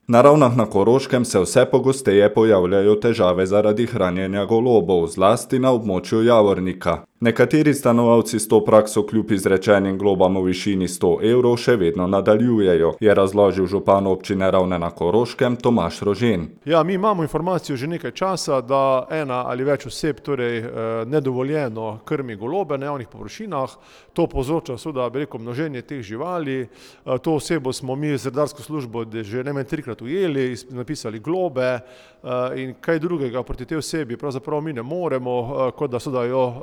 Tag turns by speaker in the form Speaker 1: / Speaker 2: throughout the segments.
Speaker 1: Na Ravnah na Koroškem se vse pogosteje pojavljajo težave zaradi hranjenja golobov, zlasti na območju Javornika. Nekateri stanovalci s to prakso kljub izrečenim globam v višini 100 evrov še vedno nadaljujejo, je razložil župan občine Ravne na Koroškem Tomaž Rožen.
Speaker 2: Ja, mi imamo informacijo že nekaj časa, da ena ali več oseb nedovoljeno krmi golobe na javnih površinah. To povzroča množenje teh živali. To osebo smo mi z redarsko službo že najmanj 3-krat ujeli, napisali globe in kaj drugega proti tej osebi pravzaprav mi ne moremo, kot da jo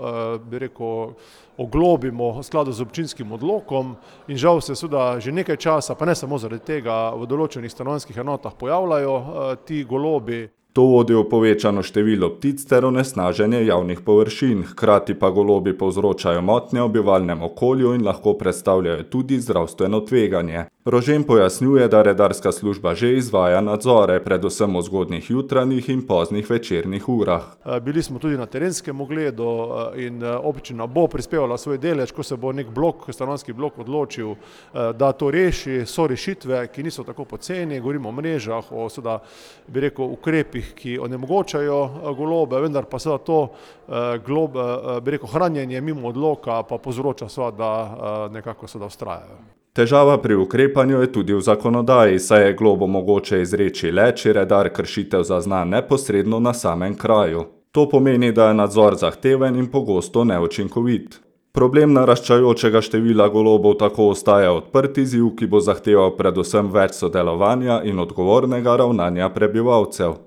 Speaker 2: oglobimo v skladu z občinskim odlokom in žal se že nekaj časa, pa ne samo zaradi tega, v določenih stanovanjskih enotah pojavljajo ti golobi.
Speaker 1: To vodi v povečano število ptic ter onesnaženje javnih površin, hkrati pa golobi povzročajo motnje v bivalnem okolju in lahko predstavljajo tudi zdravstveno tveganje. Rožen pojasnjuje, da redarska služba že izvaja nadzore, predvsem v zgodnjih jutranjih in poznih večernih urah.
Speaker 2: Bili smo tudi na terenskem ogledu in občina bo prispevala svoj delež, ko se bo nek stanovanjski blok odločil, da to reši. So rešitve, ki niso tako poceni, govorimo o mrežah, o ukrepih, ki onemogočajo golobe, vendar pa to hranjenje mimo odloka pa povzroča da nekako vztrajajo.
Speaker 1: Težava pri ukrepanju je tudi v zakonodaji, saj je globo mogoče izreči le, če redar kršitev zazna neposredno na samem kraju. To pomeni, da je nadzor zahteven in pogosto neučinkovit. Problem naraščajočega števila golobov tako ostaja odprt izziv, ki bo zahteval predvsem več sodelovanja in odgovornega ravnanja prebivalcev.